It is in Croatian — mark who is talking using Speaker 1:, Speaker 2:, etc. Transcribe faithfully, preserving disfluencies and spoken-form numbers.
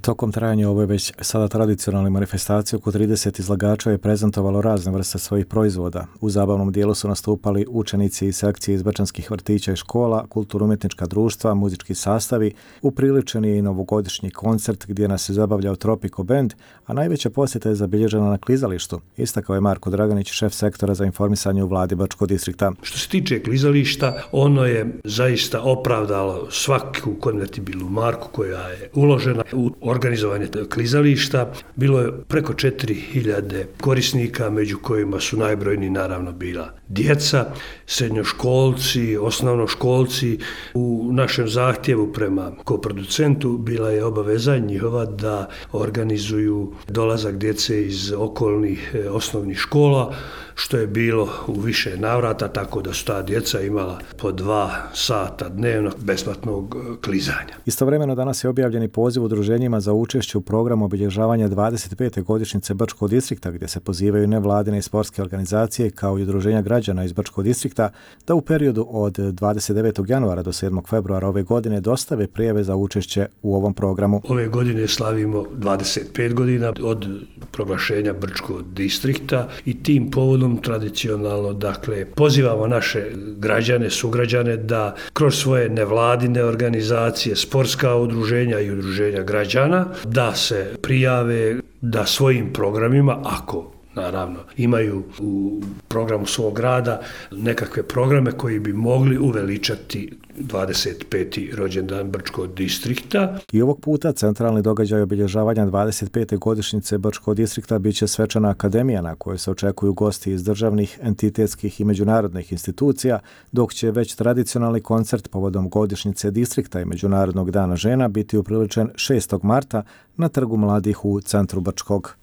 Speaker 1: Tokom trajanja ove već sada tradicionalne manifestacije oko trideset izlagača je prezentovalo razne vrste svojih proizvoda. U zabavnom dijelu su nastupali učenici i sekcije iz brčanskih vrtića i škola, kulturno-umjetnička društva, muzički sastavi, upriličen je i novogodišnji koncert gdje nas je zabavljao Tropico Band, a najveća posjeta je zabilježena na klizalištu, istakao je Marko Draganić, šef sektora za informisanje u vladi Brčkog distrikta.
Speaker 2: Što se tiče klizališta, ono je zaista opravdalo svaku konvertibilnu marku koja je uložena u organizovanje klizališta. Bilo je preko četiri hiljade korisnika, među kojima su najbrojniji naravno bila djeca, srednjoškolci, osnovnoškolci. U našem zahtjevu prema koproducentu bila je obaveza njihova da organizuju dolazak djece iz okolnih osnovnih škola, što je bilo u više navrata, tako da su ta djeca imala po dva sata dnevno besplatnog klizanja.
Speaker 1: Istovremeno danas je objavljen i poziv udruženjima za učešće u programu obilježavanja dvadeset pete godišnjice Brčkog distrikta, gdje se pozivaju nevladine i sportske organizacije kao i udruženja građana iz Brčkog distrikta da u periodu od dvadeset devetog januara do sedmog februara ove godine dostave prijave za učešće u ovom programu.
Speaker 2: Ove godine slavimo dvadeset pet godina od proglašenja Brčkog distrikta i tim povodom tradicionalno, dakle, pozivamo naše građane, sugrađane da kroz svoje nevladine organizacije, sportska udruženja i udruženja građana, da se prijave, da svojim programima, ako naravno imaju u programu svog rada nekakve programe koji bi mogli uveličati dvadeset peti rođendan Brčkog distrikta.
Speaker 1: I ovog puta centralni događaj obilježavanja dvadeset pete godišnjice Brčkog distrikta bit će svečana akademija na kojoj se očekuju gosti iz državnih, entitetskih i međunarodnih institucija, dok će već tradicionalni koncert povodom godišnjice distrikta i Međunarodnog dana žena biti upriličen šestog marta na Trgu mladih u centru Brčkog.